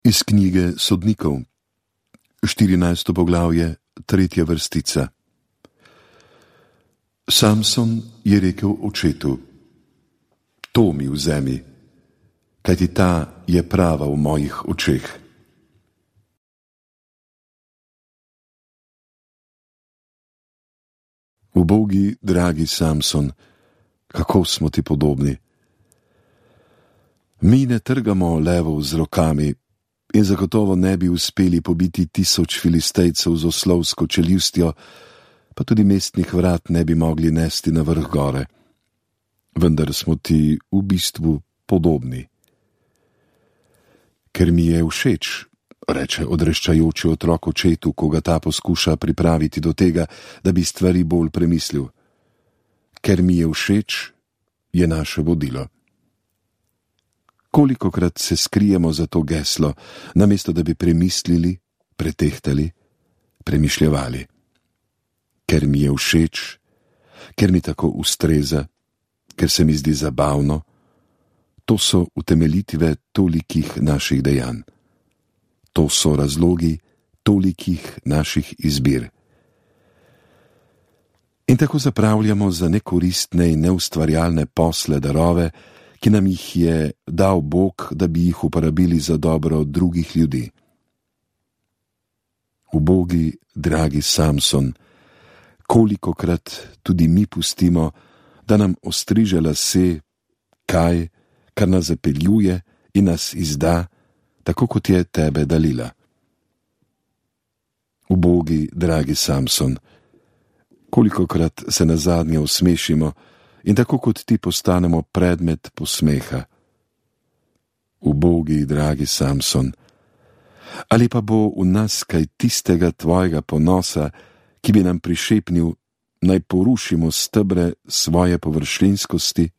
Iz knjige Sodnikov, 14. poglavje, 3. vrstica. Samson je rekel očetu: To mi vzemi, kajti ta je prava v mojih očeh. Ubogi, dragi Samson, kako smo ti podobni. Mi ne trgamo levov z rokami in zagotovo ne bi uspeli pobiti 1000 filistejcev z oslovsko čeljustjo, pa tudi mestnih vrat ne bi mogli nesti na vrh gore. Vendar smo ti v bistvu podobni. Ker mi je všeč, reče odreščajoči otrok očetu, ko ga ta poskuša pripraviti do tega, da bi stvari bolj premislil. Ker mi je všeč, je naše vodilo. Kolikokrat se skrijemo za to geslo, namesto da bi premislili, pretehtali, premišljevali. Ker mi je všeč, ker mi tako ustreza, ker se mi zdi zabavno, to so utemeljitve tolikih naših dejanj. To so razlogi tolikih naših izbir. In tako zapravljamo za nekoristne in neustvarjalne posle darove, ki nam jih je dal Bog, da bi jih uporabili za dobro drugih ljudi. Ubogi, dragi Samson, kolikokrat tudi mi pustimo, da nam ostriže lase kaj, kar nas zapeljuje in nas izda, tako kot je tebe Dalila. Ubogi, dragi Samson, kolikokrat se nazadnje usmešimo in tako kot ti postanemo predmet posmeha. Ubogi, dragi Samson, ali pa bo v nas kaj tistega tvojega ponosa, ki bi nam prišepnil, naj porušimo stebre svoje površinskosti